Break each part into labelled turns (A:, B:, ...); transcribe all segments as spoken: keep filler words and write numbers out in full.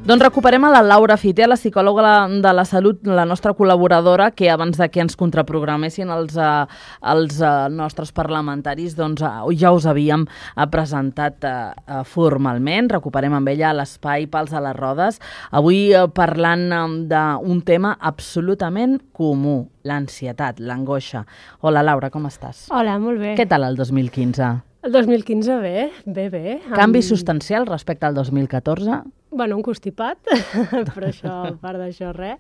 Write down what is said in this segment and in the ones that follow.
A: Doncs recuperem a la Laura Fiter, la psicòloga de la salut, la nostra col·laboradora, que abans de que ens contraprogramessin els, uh, els uh, nostres parlamentaris, doncs uh, ja us havíem uh, presentat uh, uh, formalment. Recuperem amb ella l'espai Pals a les Rodes. Avui uh, parlant um, d'un tema absolutament comú, l'ansietat, l'angoixa. Hola, Laura, com estàs?
B: Hola, molt bé.
A: Què tal el dos mil quinze?
B: El dos mil quinze bé, bé, bé.
A: Canvi
B: amb...
A: substancial respecte al dos mil catorze?
B: Bueno, un constipat, però això, a part d'això, res.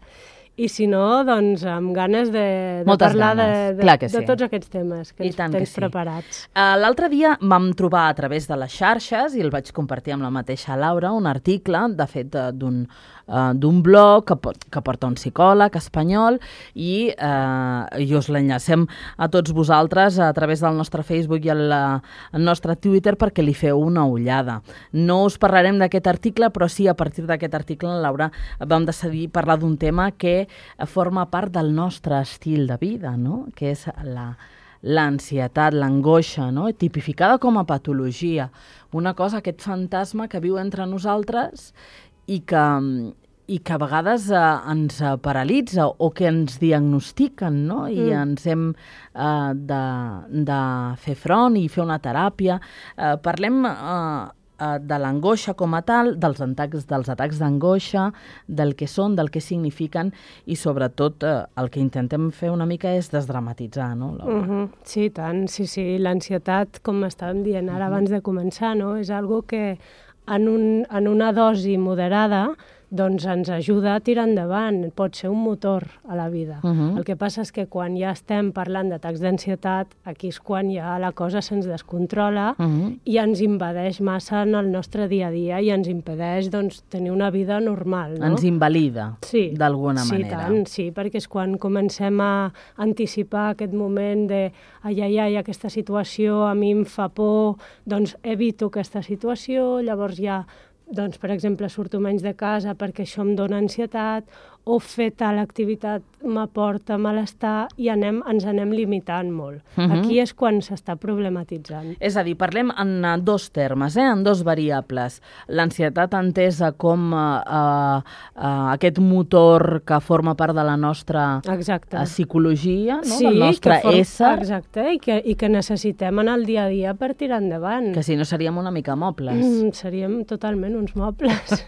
B: I si no, doncs amb ganes de, de
A: Moltes
B: parlar
A: ganes.
B: de,
A: Clar
B: de,
A: que sí.
B: de tots aquests temes que
A: I
B: ens
A: tant que
B: tens
A: sí.
B: preparats.
A: Uh, L'altre dia vam trobar a través de les xarxes, i el vaig compartir amb la mateixa Laura, un article, de fet, uh, d'un uh, d'un blog que, que porta un psicòleg espanyol, i, uh, i us l'enllacem a tots vosaltres a través del nostre Facebook i el, el nostre Twitter perquè li feu una ullada. No us parlarem d'aquest article, però sí, a partir d'aquest article, Laura, vam decidir parlar d'un tema que forma part del nostre estil de vida, no? Que és la l'ansietat, l'angoixa, no? Tipificada com a patologia. Una cosa, aquest fantasma que viu entre nosaltres i que, i que a vegades eh, ens paralitza o que ens diagnostiquen, no? I mm. ens hem eh, de, de fer front i fer una teràpia. Eh, parlem... Eh, de l'angoixa com a tal, dels atacs, dels atacs d'angoixa, del que són, del que signifiquen, i sobretot eh, el que intentem fer una mica és desdramatitzar, no, Laura?
B: Uh -huh. Sí, tant, sí, sí. L'ansietat, com estàvem dient ara uh -huh. abans de començar, no? És algo que en, un, en una dosi moderada doncs ens ajuda a tirar endavant, pot ser un motor a la vida. Uh -huh. El que passa és que quan ja estem parlant d'atacs d'ansietat, aquí és quan ja la cosa se'ns descontrola uh -huh. i ens invadeix massa en el nostre dia a dia i ens impedeix doncs, tenir una vida normal. No?
A: Ens invalida,
B: sí,
A: d'alguna
B: sí,
A: manera.
B: Tant, sí, perquè és quan comencem a anticipar aquest moment de ai, ai, ai, aquesta situació a mi em fa por, doncs evito aquesta situació, llavors ja doncs, per exemple, surto menys de casa perquè això em dona ansietat, o fer tal activitat m'aporta malestar, i anem, ens anem limitant molt. Uh-huh. Aquí és quan s'està problematitzant.
A: És a dir, parlem en dos termes, eh? En dos variables. L'ansietat entesa com uh, uh, uh, aquest motor que forma part de la nostra uh, psicologia, no?
B: Sí,
A: del nostre
B: form...
A: ésser.
B: Exacte, i que, i que necessitem en el dia a dia per tirar endavant.
A: Que si no seríem una mica mobles.
B: Mm, seríem totalment uns mobles.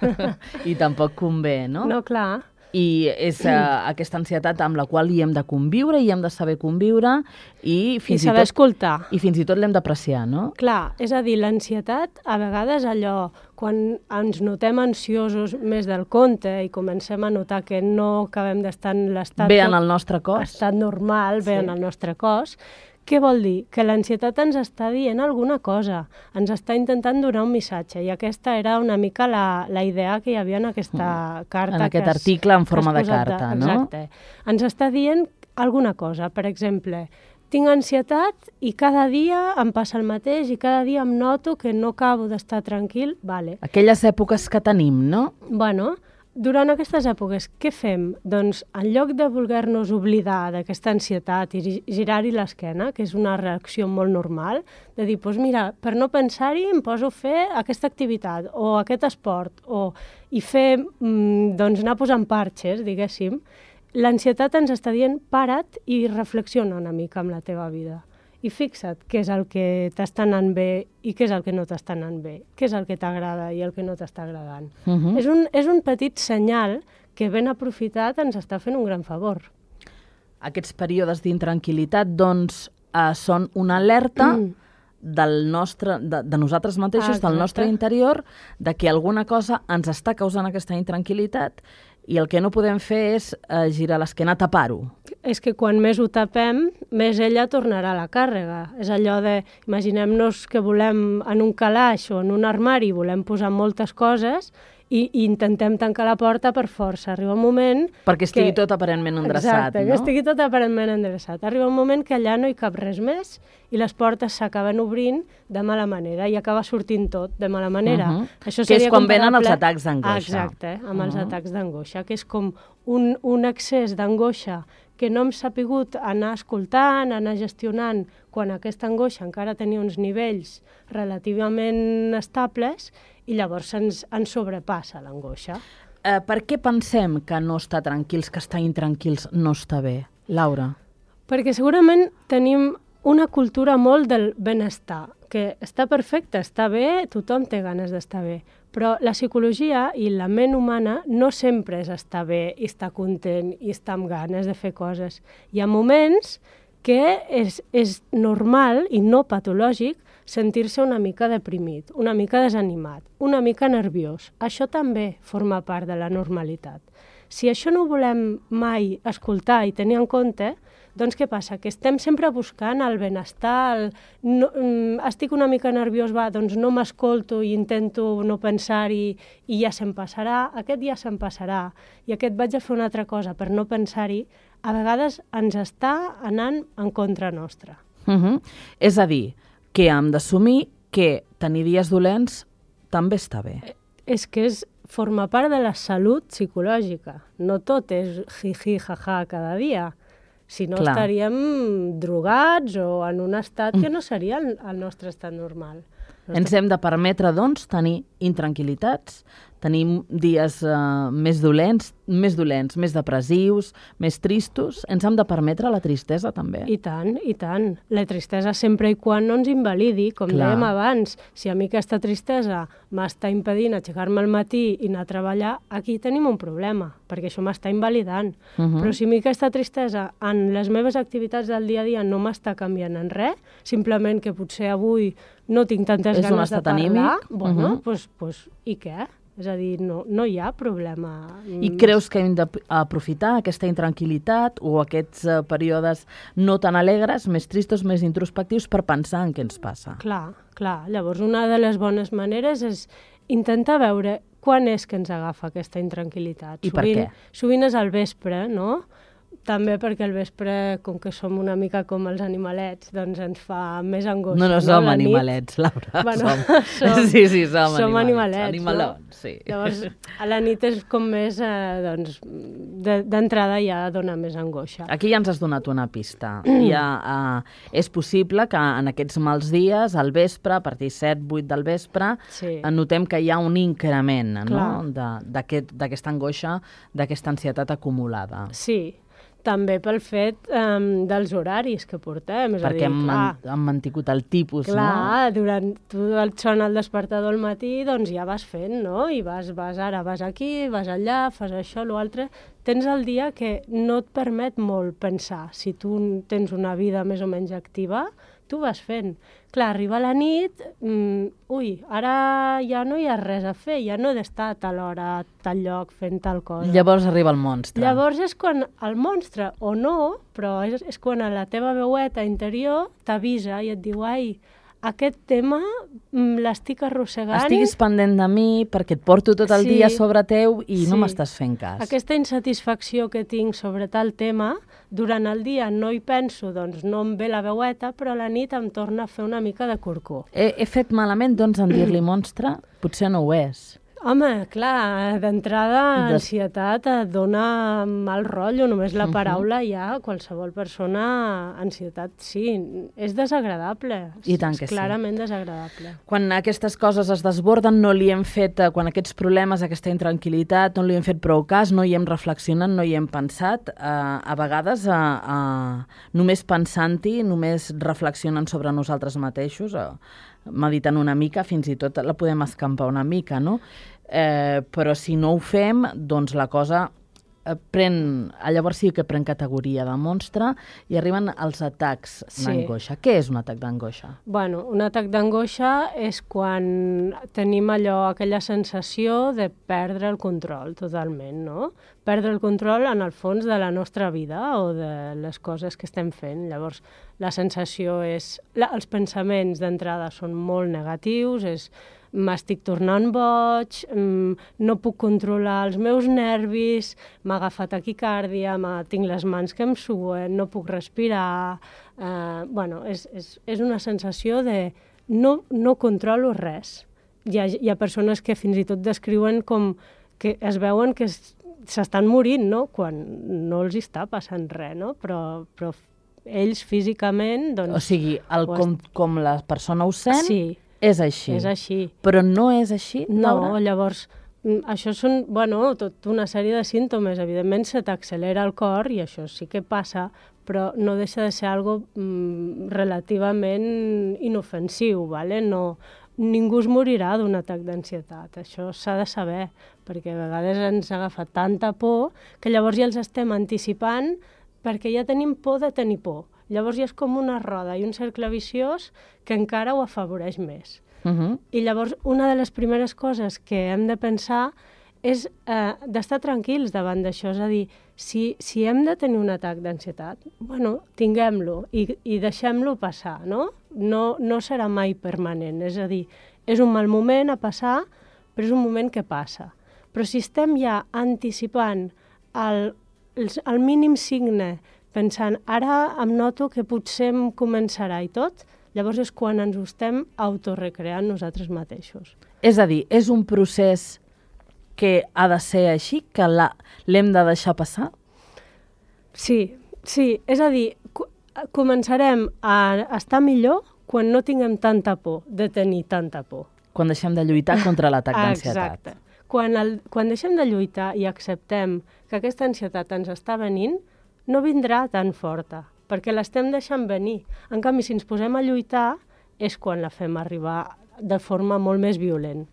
A: I tampoc convé, no?
B: No, clar.
A: I és uh, aquesta ansietat amb la qual hi hem de conviure, i hem de saber conviure, i fins
B: I saber
A: i tot,
B: escoltar.
A: I fins i tot l'hem d'apreciar, no?
B: Clar, és a dir, l'ansietat, a vegades allò, quan ens notem ansiosos més del compte i comencem a notar que no acabem d'estar en l'estat...
A: Bé en el nostre cos.
B: Estat normal, bé
A: sí.
B: en el nostre cos. Què vol dir? Que l'ansietat ens està dient alguna cosa, ens està intentant donar un missatge, i aquesta era una mica la, la idea que hi havia en aquesta carta.
A: En aquest
B: que has,
A: article en forma de carta,
B: de,
A: no?
B: Exacte. Ens està dient alguna cosa, per exemple, tinc ansietat i cada dia em passa el mateix i cada dia em noto que no acabo d'estar tranquil, vale.
A: Aquelles èpoques que tenim, no?
B: Bueno, durant aquestes èpoques, què fem? Doncs, en lloc de voler-nos oblidar d'aquesta ansietat i girar-hi l'esquena, que és una reacció molt normal, de dir, doncs mira, per no pensar-hi em poso a fer aquesta activitat o aquest esport, o, i fer, doncs, anar posant parxes, diguéssim, l'ansietat ens està dient, para't i reflexiona una mica amb la teva vida. I fixa't què és el que t'està anant bé i què és el que no t'està anant bé, què és el que t'agrada i el que no t'està agradant. Uh-huh. és, un, és un petit senyal que ben aprofitat ens està fent un gran favor.
A: Aquests períodes d'intranquil·litat, doncs, eh, són una alerta mm. del nostre, de, de nosaltres mateixos, ah, del nostre interior, de que alguna cosa ens està causant aquesta intranquil·litat, i el que no podem fer és eh, girar l'esquena, tapar-ho.
B: És que quan més ho tapem, més ella tornarà a la càrrega. És allò de, imaginem-nos que volem en un calaix o en un armari, volem posar moltes coses i, i intentem tancar la porta per força. Arriba un moment...
A: Perquè estigui
B: que...
A: tot aparentment endreçat,
B: Exacte,
A: no?
B: que estigui tot aparentment endreçat. Arriba un moment que allà no hi cap res més i les portes s'acaben obrint de mala manera i acaba sortint tot de mala manera.
A: Uh-huh.
B: Això
A: que és quan venen els
B: comparable...
A: atacs d'angoixa.
B: Exacte, amb
A: uh-huh.
B: els atacs d'angoixa, que és com un, un excés d'angoixa que no hem sapigut anar escoltant, anar gestionant, quan aquesta angoixa encara tenia uns nivells relativament estables, i llavors ens, ens sobrepassa l'angoixa.
A: eh, per què pensem que no estar tranquils, que estar intranquils no està bé? Laura?
B: Perquè segurament tenim una cultura molt del benestar, que està perfecte, està bé, tothom té ganes d'estar bé, però la psicologia i la ment humana no sempre és estar bé i estar content i estar amb ganes de fer coses. Hi ha moments que és, és normal i no patològic sentir-se una mica deprimit, una mica desanimat, una mica nerviós. Això també forma part de la normalitat. Si això no ho volem mai escoltar i tenir en compte, doncs què passa? Que estem sempre buscant el benestar, el, no, estic una mica nerviós, va, doncs no m'escolto i intento no pensar-hi i ja se'm passarà, aquest ja se'm passarà, i aquest vaig a fer una altra cosa per no pensar-hi, a vegades ens està anant en contra nostra.
A: Uh-huh. És a dir, que hem d'assumir que tenir dies dolents també està bé.
B: És que és, forma part de la salut psicològica. No tot és jiji, jaja cada dia. Si no, Clar. estaríem drogats o en un estat que no seria el, el nostre estat normal. Nostre...
A: Ens hem de permetre, doncs, tenir intranquil·litats, tenir dies uh, més dolents, més dolents, més depressius, més tristos. Ens hem de permetre la tristesa, també.
B: I tant, i tant. La tristesa sempre i quan no ens invalidi, com Clar. dèiem abans. Si a mi aquesta tristesa m'està impedint aixecar-me al matí i anar a treballar, aquí tenim un problema, perquè això m'està invalidant. Uh -huh. Però si a mi aquesta tristesa en les meves activitats del dia a dia no m'està canviant en res, simplement que potser avui no tinc tantes
A: És
B: ganes de parlar,
A: anímic.
B: bueno,
A: uh -huh.
B: pues, pues, i què? És a dir, no, no hi ha problema.
A: I creus que hem d'aprofitar aquesta intranquil·litat o aquests uh, períodes no tan alegres, més tristos, més introspectius, per pensar en què ens passa?
B: Clar, clar. Llavors, una de les bones maneres és intentar veure quan és que ens agafa aquesta intranquil·litat.
A: I
B: sovint,
A: per què?
B: Sovint és al vespre, no? També perquè al vespre, com que som una mica com els animalets, doncs ens fa més angoixa.
A: No, no som no? animalets, Laura.
B: Bueno,
A: som.
B: som.
A: Sí, sí, som,
B: som
A: animalets.
B: animalets,
A: Animalons,
B: no?
A: sí.
B: Llavors, a la nit és com més, eh, doncs, d'entrada ja dona més angoixa.
A: Aquí ja ens has donat una pista. Ja, uh, és possible que en aquests mals dies, al vespre, a partir de set, vuit del vespre,
B: sí.
A: notem que hi ha un increment, no? d'aquesta aquest, angoixa, d'aquesta ansietat acumulada.
B: Sí, també pel fet um, dels horaris que portem. És
A: Perquè
B: a dir,
A: hem,
B: clar,
A: han mantingut el tipus,
B: clar,
A: no?
B: Clar, durant tu et sona el despertador al matí, doncs ja vas fent, no? I vas, vas ara, vas aquí, vas allà, fas això, l'altre. Tens el dia que no et permet molt pensar. Si tu tens una vida més o menys activa, tu vas fent. Clar, arriba la nit, mm, ui, ara ja no hi ha res a fer, ja no he d'estar a tal hora, a tal lloc, fent tal cosa.
A: Llavors arriba el monstre.
B: Llavors és quan el monstre, o no, però és, és quan a la teva veueta interior t'avisa i et diu, ai, aquest tema l'estic arrossegant.
A: Estiguis pendent de mi perquè et porto tot el
B: sí,
A: dia sobre teu i
B: sí.
A: no m'estàs fent cas.
B: Aquesta insatisfacció que tinc sobre tal tema, durant el dia no hi penso, doncs no em ve la veueta, però a la nit em torna a fer una mica de corcó.
A: He, he fet malament, doncs, en dir-li monstre? Potser no ho és.
B: Home, clar, d'entrada, Des... ansietat et dona mal rotllo, només la paraula ja, qualsevol persona, ansietat, sí, és desagradable.
A: I tant que
B: és clarament sí. desagradable.
A: Quan aquestes coses es desborden, no li hem fet, quan aquests problemes, aquesta intranquil·litat, no li hem fet prou cas, no hi hem reflexionat, no hi hem pensat, eh, a vegades eh, eh, només pensant-hi, només reflexionant sobre nosaltres mateixos, eh, meditant una mica, fins i tot la podem escampar una mica, no? Eh, però si no ho fem, doncs la cosa eh, pren, llavors sí que pren categoria de monstre i arriben els atacs sí. d'angoixa. Què és un atac d'angoixa?
B: Bueno, un atac d'angoixa és quan tenim allò, aquella sensació de perdre el control totalment, no? Perdre el control en el fons de la nostra vida o de les coses que estem fent. Llavors, la sensació és... La, els pensaments d'entrada són molt negatius, és m'estic tornant boig, no puc controlar els meus nervis, m'ha agafat taquicàrdia, tinc les mans que em suen, no puc respirar... Eh, bueno, és, és, és una sensació de no, no controlo res. Hi ha, hi ha persones que fins i tot descriuen com que es veuen que s'estan morint, no? Quan no els està passant res, no? Però, però ells físicament... Doncs,
A: o sigui, el, com, com la persona ho sent...
B: Sí.
A: És així.
B: És així.
A: Però no és així,
B: No,
A: Laura?
B: llavors, això són, bueno, tot una sèrie de símptomes. Evidentment se t'accelera el cor i això sí que passa, però no deixa de ser algo mm, relativament inofensiu, ¿vale? No, ningú es morirà d'un atac d'ansietat, això s'ha de saber, perquè a vegades ens agafa tanta por que llavors ja els estem anticipant perquè ja tenim por de tenir por. Llavors ja és com una roda i un cercle viciós que encara ho afavoreix més.
A: Uh-huh.
B: I llavors, una de les primeres coses que hem de pensar és eh, d'estar tranquils davant d'això. És a dir, si, si hem de tenir un atac d'ansietat, bueno, tinguem-lo i, i deixem-lo passar, no? No, no serà mai permanent. És a dir, és un mal moment a passar, però és un moment que passa. Però si estem ja anticipant el, el, el mínim signe, pensant, ara em noto que potser em començarà i tot, llavors és quan ens ho estem autorrecreant nosaltres mateixos.
A: És a dir, és un procés que ha de ser així, que l'hem de deixar passar?
B: Sí, sí. És a dir, començarem a estar millor quan no tinguem tanta por, de tenir tanta por.
A: Quan deixem de lluitar contra l'atac d'ansietat.
B: Exacte. Quan, el, quan deixem de lluitar i acceptem que aquesta ansietat ens està venint, no vindrà tan forta, perquè l'estem deixant venir. En canvi, si ens posem a lluitar, és quan la fem arribar de forma molt més violent.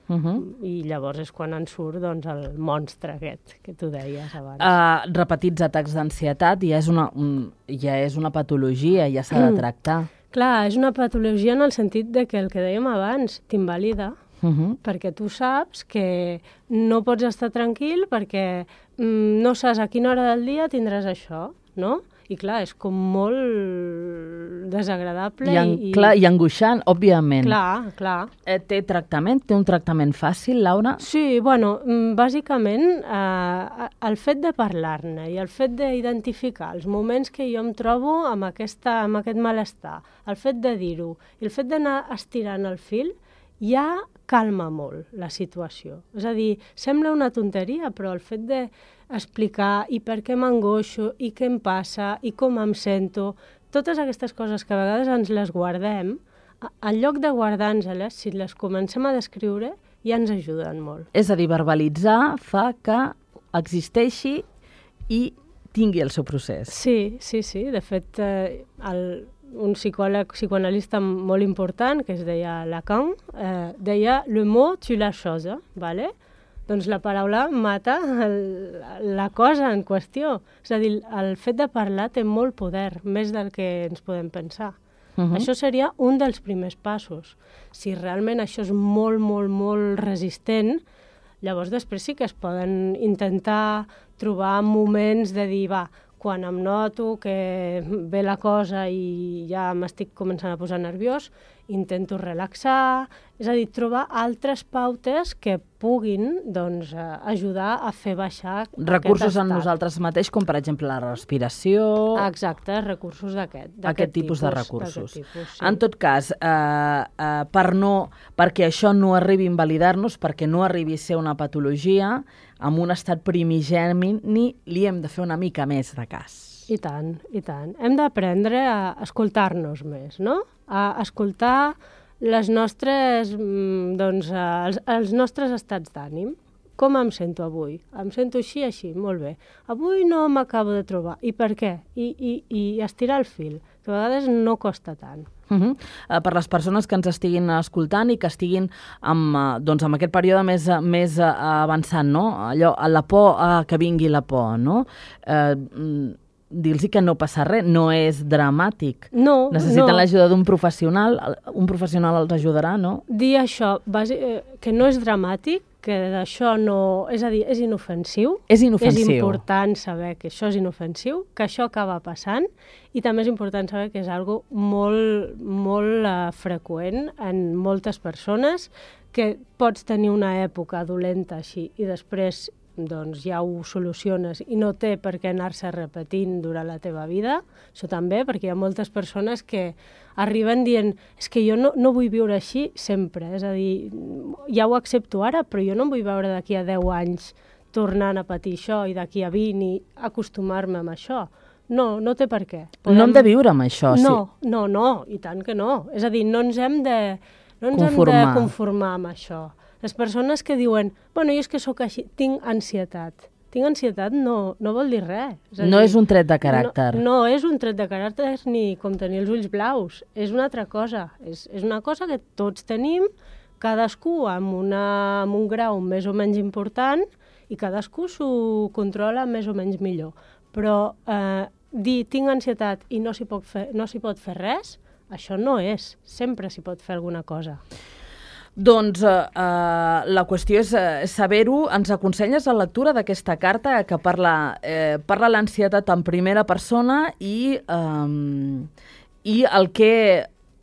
B: Uh-huh. I llavors és quan ens surt doncs, el monstre aquest que tu deies abans.
A: Uh, repetits atacs d'ansietat ja és una, un, ja és una patologia, ja s'ha de tractar.
B: Clar, és una patologia en el sentit de que el que dèiem abans t'invalida, uh-huh. perquè tu saps que no pots estar tranquil perquè mm, no saps a quina hora del dia tindràs això, no? I clar, és com molt desagradable.
A: I, en,
B: i...
A: Clar, i angoixant, òbviament.
B: Clar, clar.
A: Eh, té tractament? Té un tractament fàcil, Laura?
B: Sí, bueno, bàsicament eh, el fet de parlar-ne i el fet d'identificar els moments que jo em trobo amb, aquesta, amb aquest malestar, el fet de dir-ho i el fet d'anar estirant el fil, ja calma molt la situació. És a dir, sembla una tonteria, però el fet d'explicar i per què m'angoixo, i què em passa, i com em sento, totes aquestes coses que a vegades ens les guardem, en lloc de guardar-nos-les, si les comencem a descriure, ja ens ajuden molt.
A: És a dir, verbalitzar fa que existeixi i tingui el seu procés.
B: Sí, sí, sí. De fet, eh, el... un psicòleg psicoanalista molt important, que es deia Lacan, eh, deia «le mot tue la chose», ¿vale? Doncs la paraula mata el, la cosa en qüestió. És a dir, el fet de parlar té molt poder, més del que ens podem pensar. Uh-huh. Això seria un dels primers passos. Si realment això és molt, molt, molt resistent, llavors després sí que es poden intentar trobar moments de dir, va, quan em noto que ve la cosa i ja m'estic començant a posar nerviós, intento relaxar, és a dir, trobar altres pautes que puguin doncs, ajudar a fer baixar
A: recursos
B: aquest estat.
A: En nosaltres mateix, com per exemple la respiració...
B: Exacte, recursos d'aquest
A: Aquest tipus, tipus de recursos.
B: Tipus, sí.
A: En tot cas, eh, eh, per no, perquè això no arribi a invalidar-nos, perquè no arribi a ser una patologia, amb un estat primigeni, ni li hem de fer una mica més de cas.
B: I tant, i tant. Hem d'aprendre a escoltar-nos més, no? A escoltar les nostres, doncs, els, els nostres estats d'ànim. Com em sento avui? Em sento així, així, molt bé. Avui no m'acabo de trobar. I per què? I, i, i estirar el fil, que a vegades no costa tant.
A: Uh-huh. Uh, per les persones que ens estiguin escoltant i que estiguin amb, uh, doncs, amb aquest període més, més uh, avançant, no? Allò, a la por, uh, que vingui la por, no? Uh, dir-los que no passa res, no és dramàtic.
B: No,
A: necessiten
B: no.
A: l'ajuda d'un professional, un professional els ajudarà, no?
B: Dir això, que no és dramàtic, que d'això no... És a dir, és inofensiu.
A: És inofensiu.
B: És important saber que això és inofensiu, que això acaba passant, i també és important saber que és algo molt, molt uh, freqüent en moltes persones, que pots tenir una època dolenta així i després doncs ja ho soluciones i no té per què anar-se repetint durant la teva vida. Això també, perquè hi ha moltes persones que arriben dient és que jo no, no vull viure així sempre, és a dir, ja ho accepto ara, però jo no em vull veure d'aquí a deu anys tornant a patir això i d'aquí a vint i acostumar-me amb això. No, no té per què.
A: Podem... No hem de viure amb això,
B: no,
A: sí.
B: No, no, i tant que no. És a dir, no ens hem de, no ens
A: conformar.
B: hem de conformar amb això. Les persones que diuen, bueno, jo és que sóc així, tinc ansietat. Tinc ansietat no, no vol dir res. És
A: no
B: dir,
A: és un tret de caràcter.
B: No, no és un tret de caràcter ni com tenir els ulls blaus. És una altra cosa. És, és una cosa que tots tenim, cadascú amb, una, amb un grau més o menys important i cadascú s'ho controla més o menys millor. Però eh, dir tinc ansietat i no s'hi pot fer, no s'hi pot fer res, això no és. Sempre s'hi pot fer alguna cosa.
A: Doncs eh, eh, la qüestió és eh, saber-ho. Ens aconselles la lectura d'aquesta carta que parla, eh, parla l'ansietat en primera persona i, eh, i el, que,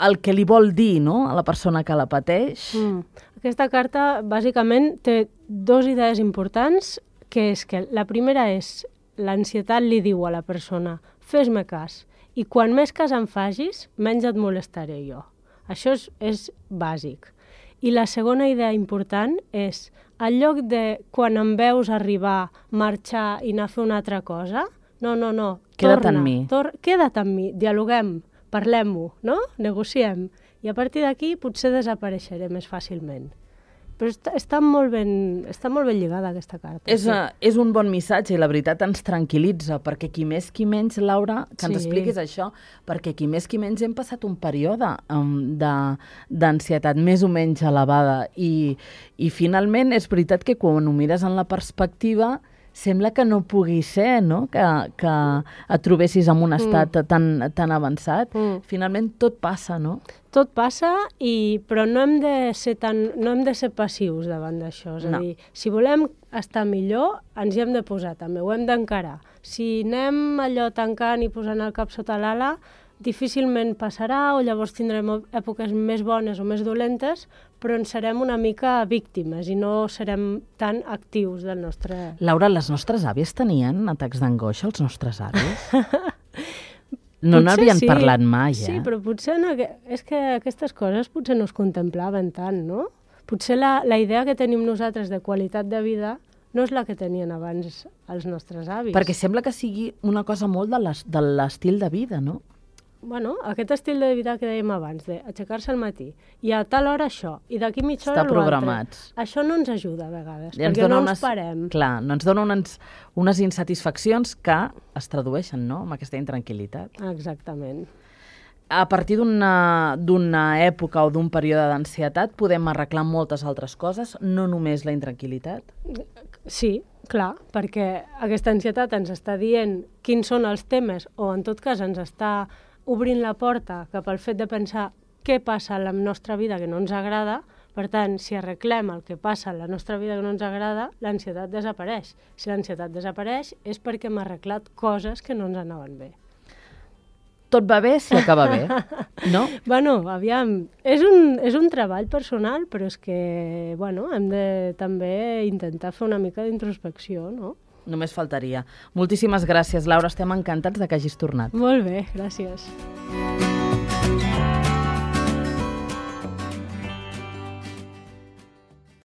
A: el que li vol dir, no?, a la persona que la pateix.
B: Mm. Aquesta carta, bàsicament, té dues idees importants, que és que la primera és l'ansietat li diu a la persona fes-me cas, i quan més cas em facis, menys et molestaré jo. Això és, és bàsic. I la segona idea important és, en lloc de, quan em veus arribar, marxar i anar a fer una altra cosa, no, no, no,
A: queda't
B: torna,
A: amb mi.
B: Tor queda't amb mi, dialoguem, parlem-ho, no? Negociem. I a partir d'aquí potser desapareixeré més fàcilment. Però està, està, molt ben, està molt ben lligada aquesta carta.
A: És,
B: sí.
A: uh, és un bon missatge i la veritat ens tranquil·litza, perquè qui més qui menys, Laura, que ens
B: Sí.
A: expliquis això, perquè qui més qui menys hem passat un període um, d'ansietat més o menys elevada i, i finalment és veritat que quan ho mires en la perspectiva sembla que no pugui ser, no?, que, que et trobessis en un estat mm. tan, tan avançat. Mm. Finalment tot passa, no?
B: Tot passa, i, però no hem de ser tan, no hem de ser passius davant d'això. És a
A: no.
B: dir, si volem estar millor, ens hi hem de posar també, ho hem d'encarar. Si anem allò tancant i posant el cap sota l'ala, difícilment passarà, o llavors tindrem èpoques més bones o més dolentes, però en serem una mica víctimes i no serem tan actius del nostre...
A: Laura, les nostres àvies tenien atacs d'angoixa, els nostres avis? No n'havien
B: sí,
A: parlat mai, eh?
B: Sí, però potser no, és que aquestes coses potser no es contemplaven tant, no? Potser la, la idea que tenim nosaltres de qualitat de vida no és la que tenien abans els nostres avis.
A: Perquè sembla que sigui una cosa molt de l'estil de vida, no?
B: Bueno, aquest estil de vida que dèiem abans, d'aixecar-se al matí, i a tal hora això, i d'aquí mitja hora
A: l'altre. Està programats.
B: Això no ens ajuda a vegades,
A: I
B: perquè no
A: unes,
B: ens parem.
A: Clar, no ens dona unes, unes insatisfaccions que es tradueixen, no?, amb aquesta intranquil·litat.
B: Exactament.
A: A partir d'una època o d'un període d'ansietat podem arreglar moltes altres coses, no només la intranquil·litat?
B: Sí, clar, perquè aquesta ansietat ens està dient quins són els temes, o en tot cas ens està obrint la porta cap al fet de pensar què passa a la nostra vida que no ens agrada. Per tant, si arreglem el que passa a la nostra vida que no ens agrada, l'ansietat desapareix. Si l'ansietat desapareix és perquè hem arreglat coses que no ens anaven bé.
A: Tot va bé si acaba bé, no?
B: Bueno, aviam, és un, és un treball personal, però és que, bueno, hem de també intentar fer una mica d'introspecció, no?
A: Només faltaria. Moltíssimes gràcies, Laura. Estem encantats de que hagis tornat.
B: Molt bé, gràcies.